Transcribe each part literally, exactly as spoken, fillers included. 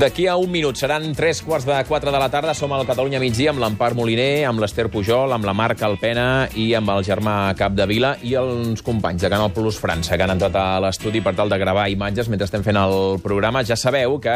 D'aquí a un minut seran tres quarts de quatre de la tarda. Som al Catalunya Migdia amb l'Empar Moliner, amb l'Ester Pujol, amb la Marc Alpena i amb el Germà Capdevila i els companys de Canal Plus França que han entrat a l'estudi per tal de gravar imatges mentre estem fent el programa. Ja sabeu que,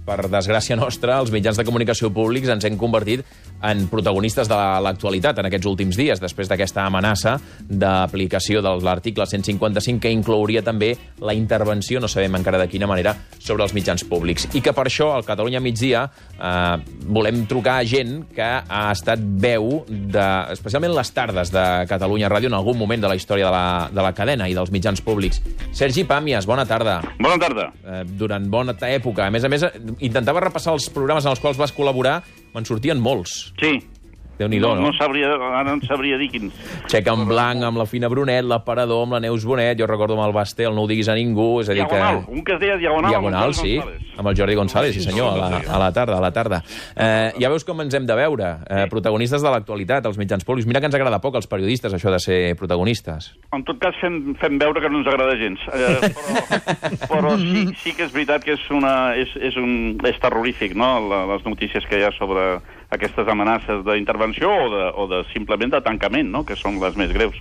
per desgràcia nostra, els mitjans de comunicació públics ens hem convertit en protagonistes de l'actualitat en aquests últims dies, després d'aquesta amenaça d'aplicació de l'article cent cinquanta-cinc que inclouria també la intervenció, no sabem encara de quina manera, sobre els mitjans públics. I que per això al Catalunya Migdia eh, volem trucar a gent que ha estat veu, de, especialment les tardes de Catalunya Ràdio, en algun moment de la història de la, de la cadena i dels mitjans públics. Sergi Pàmies, bona tarda. Bona tarda. Eh, durant bona època. A més a més, intentava repassar els programes en els quals vas col·laborar. Me'n sortien molts. Sí. Déu-n'hi-do, no? No, no sabria, ara no sabria dir quins. Xec en blanc, amb la Fina Brunet, l'aparador, amb la Neus Bonet, jo recordo amb el Basté, el No ho diguis a ningú, és a dir Diagonal, que... un que es deia Diagonal. Diagonal, sí, amb el Jordi González, sí senyor, a la, a la tarda, a la tarda. Eh, ja veus com ens hem de veure, eh, protagonistes de l'actualitat, els mitjans públics. Mira que ens agrada poc als periodistes, això de ser protagonistes. En tot cas, fem, fem veure que no ens agrada gens. Eh, però però sí, sí que és veritat que és, una, és, és, un, és terrorífic, no?, les notícies que hi ha sobre aquestes amenaces d'intervenció o, de, o de simplement de tancament, no?, que són les més greus.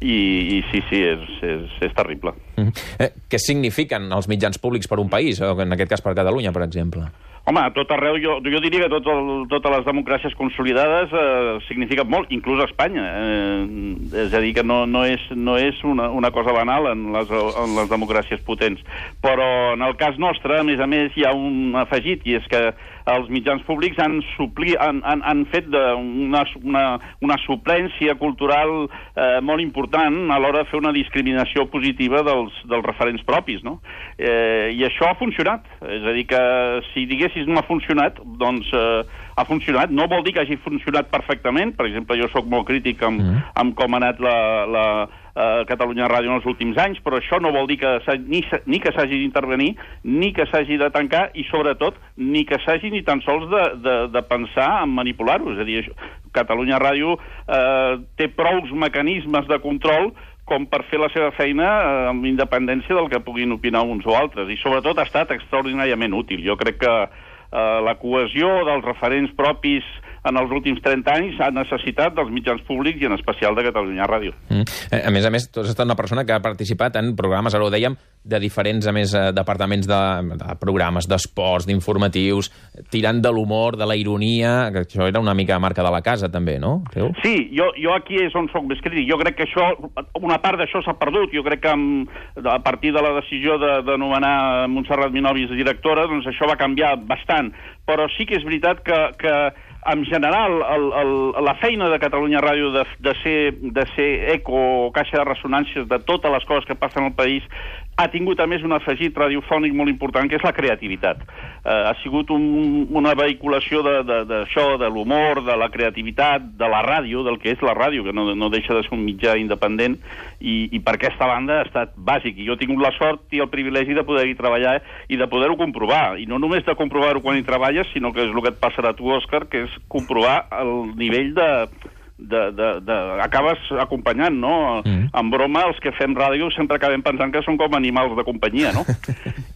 I, i sí, sí, és, és, és terrible. Mm -hmm. eh, què signifiquen els mitjans públics per un país, o en aquest cas per Catalunya, per exemple? Home, a tot arreu, jo, jo diria que tot el, totes les democràcies consolidades eh, signifiquen molt, inclús a Espanya. Eh, és a dir, que no, no és, no és una, una cosa banal en les, en les democràcies potents. Però en el cas nostre, a més a més, hi ha un afegit, i és que els mitjans públics han, supli, han, han, han fet de una, una, una suplència cultural eh, molt important a l'hora de fer una discriminació positiva dels, dels referents propis, no? Eh, I això ha funcionat. És a dir, que si diguessis no ha funcionat, doncs eh, ha funcionat. No vol dir que hagi funcionat perfectament. Per exemple, jo sóc molt crític amb, mm. amb com ha anat la... la Uh, Catalunya Ràdio en els últims anys, però això no vol dir que ni, ni que s'hagi d'intervenir, ni que s'hagi de tancar, i sobretot ni que s'hagi ni tan sols de, de, de pensar en manipular-ho. És a dir, això, Catalunya Ràdio uh, té prous mecanismes de control com per fer la seva feina eh, amb independència del que puguin opinar uns o altres, i sobretot ha estat extraordinàriament útil. Jo crec que eh, la cohesió dels referents propis en els últims trenta anys ha necessitat dels mitjans públics i en especial de Catalunya Ràdio. Mm. A més a més, tu has estat una persona que ha participat en programes, ara ho dèiem, de diferents, a més, departaments de, de programes, d'esports, d'informatius, tirant de l'humor, de la ironia, que això era una mica marca de la casa, també, no? Creu? Sí, jo, jo aquí és on soc més crític. Jo crec que això, una part d'això s'ha perdut. Jo crec que amb, a partir de la decisió de, de nomenar Montserrat Minovis directora, doncs això va canviar bastant. Però sí que és veritat que, que en general, el, el, la feina de Catalunya Ràdio de, de, ser, de ser eco o caixa de ressonàncies de totes les coses que passen al país ha tingut, a més, un afegit radiofònic molt important, que és la creativitat. Eh, ha sigut un, una vehiculació d'això, de, de, de l'humor, de la creativitat, de la ràdio, del que és la ràdio, que no, no deixa de ser un mitjà independent, i, i per aquesta banda ha estat bàsic. I jo he tingut la sort i el privilegi de poder-hi treballar i de poder-ho comprovar. I no només de comprovar-ho quan hi treballes, sinó que és el que et passarà a tu, Òscar, que és comprovar el nivell de... De, de, de, acabes acompanyant, no? Mm. En broma, els que fem ràdio sempre acabem pensant que són com animals de companyia, no?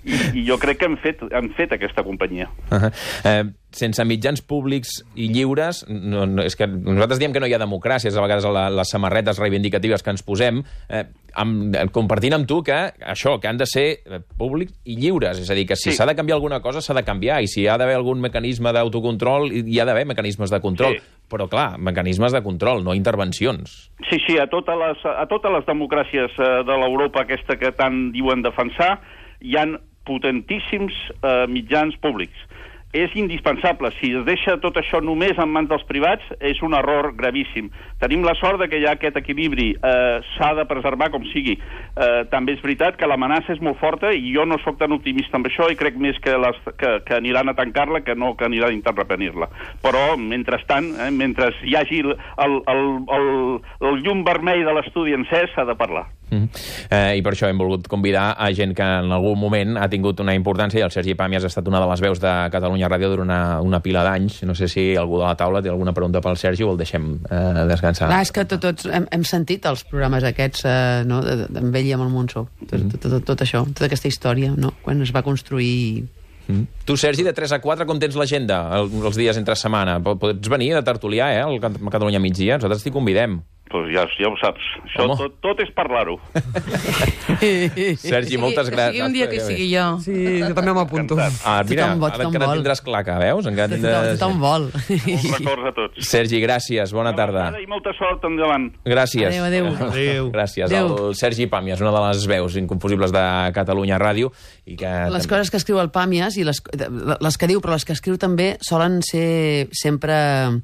I, i jo crec que hem fet, hem fet aquesta companyia. Uh -huh. eh, sense mitjans públics i lliures, no, no, és que nosaltres diem que no hi ha democràcies, a vegades la, les samarretes reivindicatives que ens posem, eh, amb, compartint amb tu que això, que han de ser públics i lliures, és a dir, que si s'ha sí. de canviar alguna cosa s'ha de canviar, i si hi ha d'haver algun mecanisme d'autocontrol, hi ha d'haver mecanismes de control. Sí. Però, clar, mecanismes de control, no intervencions. Sí, sí, a totes les, a totes les democràcies eh, de l'Europa aquesta que tant diuen defensar, hi han potentíssims eh, mitjans públics. És indispensable. Si es deixa tot això només en mans dels privats, és un error gravíssim. Tenim la sort de que hi ha aquest equilibri. Eh, s'ha de preservar com sigui. Eh, també és veritat que l'amenaça és molt forta i jo no sóc tan optimista amb això i crec més que, les, que, que aniran a tancar-la que no que aniran a interrepenir-la. Però, mentrestant, eh, mentre hi hagi el, el, el, el, el llum vermell de l'estudi encès, s'ha de parlar. Mm. Eh, I per això hem volgut convidar a gent que en algun moment ha tingut una importància, i el Sergi Pàmies ha estat una de les veus de Catalunya Ràdio durant una, una pila d'anys. No sé si algú de la taula té alguna pregunta pel Sergi o el deixem eh, descansar. Clar, és que tot, tots hem, hem sentit els programes aquests eh, no, amb ell i amb el Monsó, tot, mm. tot, tot, tot això, tota aquesta història, no? Quan es va construir Mm. Tu, Sergi, de tres a quatre, com tens l'agenda els dies entre setmana? Pots venir a tertuliar, eh, al Catalunya migdia? Nosaltres t'hi convidem. Pues ja, ja ho saps. Això tot, tot és parlar-ho. Sergi, moltes gràcies. Sigui un dia que sigui jo. Sí, jo també m'apunto. Ah, mira, Tothom vol, ara tothom encara vol. tindràs claca, veus? Encara tindràs... Tothom vol. Molts records a tots. Sergi, gràcies, bona tarda. I molta sort endavant. Gràcies. Adéu, adéu. Adéu. Gràcies Adéu. al Sergi Pàmies, una de les veus inconfusibles de Catalunya Ràdio. I que Les coses que escriu el Pàmies, i les, les que diu, però les que escriu també, solen ser sempre...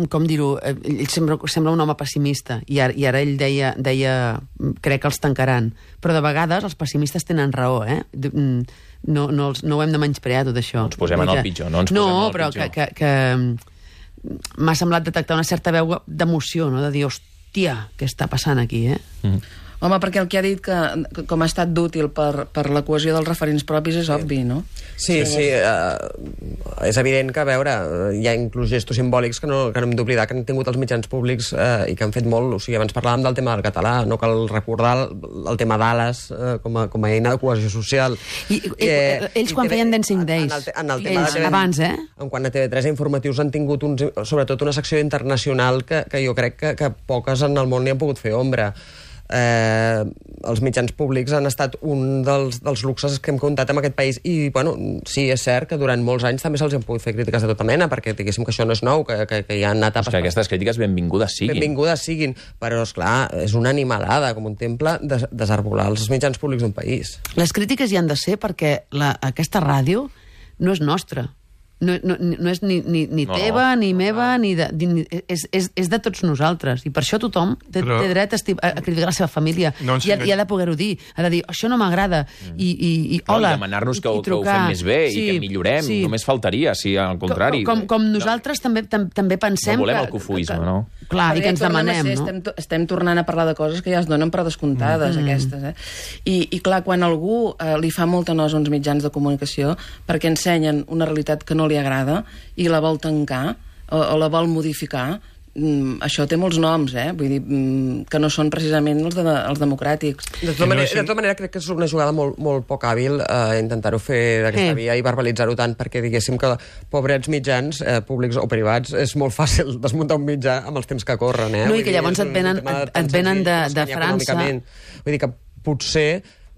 com dir-ho, ell sembla, sembla un home pessimista, i ara, i ara ell deia, deia, crec que els tancaran, però de vegades els pessimistes tenen raó, eh? No, no, els, no ho hem de menysprear, tot això. No ens posem en el pitjor, no ens no, posem en el però pitjor. que, que, que m'ha semblat detectar una certa veu d'emoció, no? De dir, hòstia, què està passant aquí, eh? Mm. Home, perquè el que ha dit que, que com ha estat d'útil per, per la cohesió dels referents propis és obvi, no? Sí, sí, uh, és evident que, a veure, hi ha inclús gestos simbòlics que no, que no hem d'oblidar que han tingut els mitjans públics uh, i que han fet molt. O sigui, abans parlàvem del tema del català, no cal recordar el, el tema d'Ales uh, com, a, com a eina de cohesió social. I, i eh, ells quan feien Dancing Days, en el, en el tema ells, de, abans, eh? En quant a T V tres informatius han tingut uns, sobretot una secció internacional que, que jo crec que, que poques en el món hi han pogut fer ombra. Eh, els mitjans públics han estat un dels, dels luxes que hem comptat en aquest país i, bueno, sí, és cert que durant molts anys també se'ls han pogut fer crítiques de tota mena, perquè diguéssim que això no és nou, que, que, que hi ha etapes... És que aquestes crítiques benvingudes siguin. Benvingudes siguin, però, esclar, és una animalada, com un temple, des, desarbolar els mitjans públics d'un país. Les crítiques hi han de ser perquè la, aquesta ràdio no és nostra. No, no, no és ni, ni, ni No, teva, no. ni meva, ni de, ni, és, és, és de tots nosaltres. I per això tothom té, Però- té dret a, esti- a criticar la seva família. No ens I, ha, engany- I ha de poder-ho dir. Ha de dir, això no m'agrada. I, i, i No, hola. i demanar-nos que, i, ho- i que ho fem més bé i que millorem. sí. Només faltaria, si al contrari. Com, com, com nosaltres també, tam, també pensem No volem que... el cofoisme, que, no? Clar, i que ens Tornem a demanem, ser, no? Estem, to- estem tornant a parlar de coses que ja es donen per descomptades, mm. aquestes. Eh? I, I, clar, quan algú eh, li fa molta nosa a uns mitjans de comunicació perquè ensenyen una realitat que no li agrada i la vol tancar o, o la vol modificar, mm, això té molts noms, eh? Vull dir, mm, que no són precisament els, de, els democràtics. De tota, manera, de tota manera, crec que és una jugada molt, molt poc hàbil eh, intentar-ho fer d'aquesta Eh. via i verbalitzar-ho tant, perquè diguéssim que pobrets mitjans, eh, públics o privats, és molt fàcil desmuntar un mitjà amb els temps que corren. Eh? No, i Vull que dir, llavors és et un venen- tema et- tan et venen senzill de- com de escanyar França. econòmicament. Vull dir que potser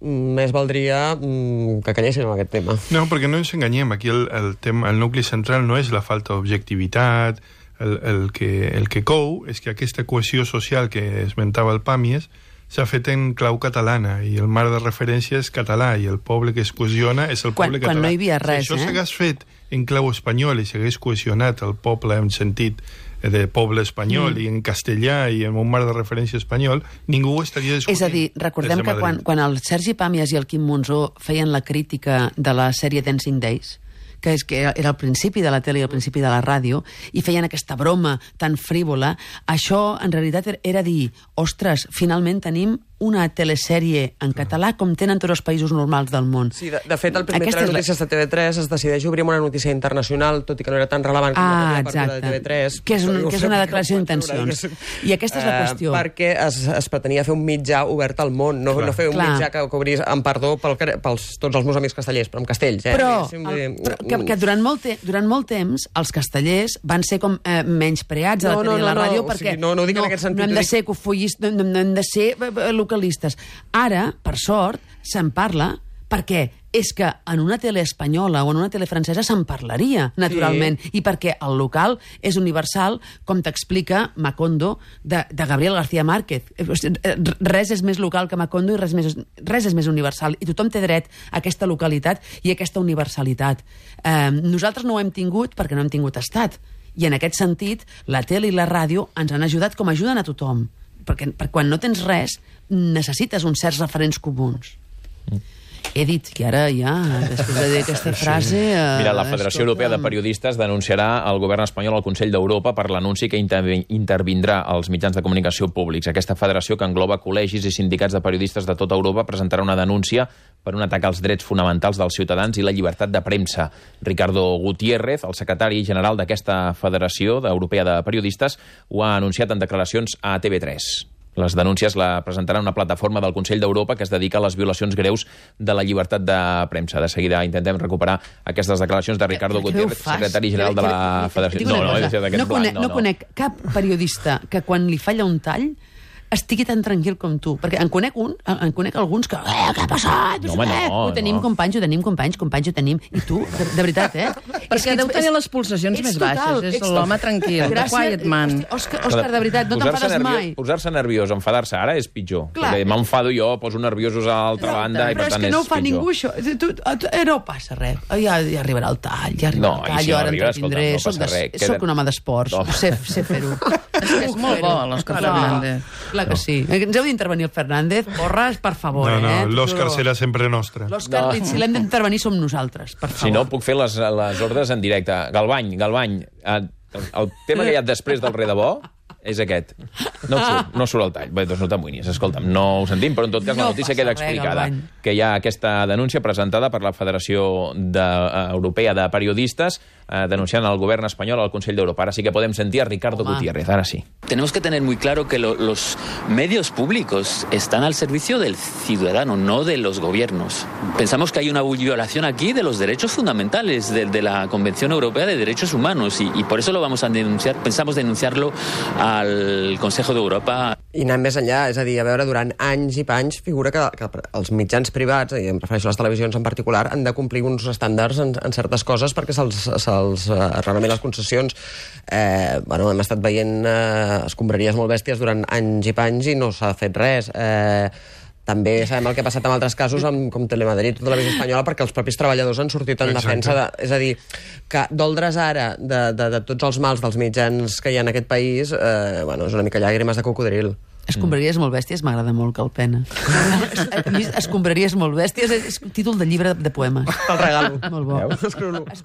mm, més valdria mm, que calléssim amb aquest tema. No, perquè no ens enganyem. Aquí el, el, tema, el nucli central no és la falta d'objectivitat, el, el, que, el que cou és que aquesta cohesió social que esmentava el Pàmies s'ha fet en clau catalana i el marc de referència és català i el poble que es cohesiona és el Quan- poble quan català. no hi havia res, si això eh? s'hagués fet en clau espanyol i s'hagués cohesionat el poble en sentit de poble espanyol mm. i en castellà i en un marc de referència espanyol, ningú ho estaria discutint. És a dir, recordem des de que quan, Madrid. quan el Sergi Pàmies i el Quim Monzó feien la crítica de la sèrie Dancing Days, que és que era el principi de la tele i el principi de la ràdio, i feien aquesta broma tan frívola, això en realitat era dir, ostres, finalment tenim una telesèrie en català com tenen tots els països normals del món. Sí, de, de fet, el primer Aquesta és la- notícies de T V tres es decideix obrir amb una notícia internacional, tot i que no era tan relevant com Ah, la partida de exacte. T V tres. Que és un- Però que és ho una fem, declaració no ho pots d'intencions. veure, I aquesta és la Eh, qüestió. perquè es, es pretenia fer un mitjà obert al món, no, Clar. no fer un Clar. mitjà que cobrís, amb perdó pel, car- pels tots els meus amics castellers, però amb castells, eh? Però, Diguéssim, el, vull dir, però que, que durant, molt te, durant molt temps els castellers van ser com eh, menyspreats a la No, tele i no, la no, ràdio no, o perquè sigui, no, no ho dic en aquest sentit, no hem ho de dic- ser cofollistes, no, no, no hem de ser eh, eh, localistes. Ara, per sort, se'n parla perquè és que en una tele espanyola o en una tele francesa se'n parlaria, naturalment, sí. I perquè el local és universal, com t'explica Macondo, de, de Gabriel García Márquez. Eh, Res és més local que Macondo i res, més, res és més universal. I tothom té dret a aquesta localitat i a aquesta universalitat. Eh, nosaltres no ho hem tingut perquè no hem tingut estat. I en aquest sentit, la tele i la ràdio ens han ajudat com ajuden a tothom. Perquè, perquè quan no tens res, necessites uns certs referents comuns. Mm. He dit que ara ja, després de dir aquesta frase... Eh, Mira, la Federació escolta'm, Europea de Periodistes denunciarà al govern espanyol al Consell d'Europa per l'anunci que intervi- intervindrà als mitjans de comunicació públics. Aquesta federació, que engloba col·legis i sindicats de periodistes de tota Europa, presentarà una denúncia per un atac als drets fonamentals dels ciutadans i la llibertat de premsa. Ricardo Gutiérrez, el secretari general d'aquesta Federació Europea de Periodistes, ho ha anunciat en declaracions a T V tres. Les denúncies la presentaran una plataforma del Consell d'Europa que es dedica a les violacions greus de la llibertat de premsa. De seguida intentem recuperar aquestes declaracions de Ricardo Gutiérrez, secretari general de la Federació. No, no, no, no, conec, no conec cap periodista que quan li falla un tall estigui tan tranquil com tu. Perquè en conec un, en conec alguns que... Eh, què ha passat? No, home, no, ho tenim, no. companys, ho tenim, companys, companys, ho tenim. I tu, de, de veritat, eh? Perquè deu tenir les pulsacions més baixes. És l'home tranquil, the quiet man. Òscar, Òscar, de veritat, no t'enfades mai. Posar-se nerviós, enfadar-se ara és pitjor. Clar. Perquè m'enfado jo, poso nerviosos a l'altra banda i per tant és pitjor. Però és que no ho fa ningú, això. Tu, tu, eh, no passa res. Ja, ja arribarà el tall, ja arribarà no, el tall, si jo no ara arriba, entretindré. Escolta, no soc, queda... soc un home d'esports, no. sé, sé fer-ho. És molt bo, l'Òscar Fernández. Clar que sí. Ens heu d'intervenir el Fernández, porres, per favor, no, no, eh? l'Òscar serà sempre nostre. L'Òscar, no. Si l'hem d'intervenir som nosaltres, per favor. Si no, puc fer les, les ordres en directe. Galvany, Galvany, el, el tema que hi ha després del Re de Bo és aquest. No surt, no surt el tall. Bé, doncs no t'amoïnis, escolta'm, no ho sentim, però en tot cas no la notícia queda explicada. Res, que hi ha aquesta denúncia presentada per la Federació de, uh, Europea de Periodistes uh, denunciant el govern espanyol al Consell d'Europa. Ara sí que podem sentir a Ricardo Home. Gutiérrez, ara sí. Tenemos que tener muy claro que lo, los medios públicos están al servicio del ciudadano, no de los gobiernos. Pensamos que hay una violación aquí de los derechos fundamentales de, de la Convención Europea de Derechos Humanos y, y por eso lo vamos a denunciar, pensamos denunciarlo al Consejo d'Europa. I anant més enllà, és a dir, a veure, durant anys i panys figura que, que els mitjans privats, i em refereixo a les televisions en particular, han de complir uns estàndards en, en certes coses perquè se'ls se uh, realment les concessions. Eh, bueno, hem estat veient uh, escombraries molt bèsties durant anys i panys i no s'ha fet res. Eh, també sabem el que ha passat en altres casos amb, com Telemadrid o Televisió Espanyola perquè els propis treballadors han sortit en Exacte. defensa de, és a dir, que doldre's ara de, de, de tots els mals dels mitjans que hi ha en aquest país, eh, bueno, és una mica llàgrimes de cocodril. Escombraries molt bèsties, m'agrada molt, Calpena. Escombraries molt bèsties és títol de llibre de poemes. Te'l regalo. Molt bo. Escriu-lo.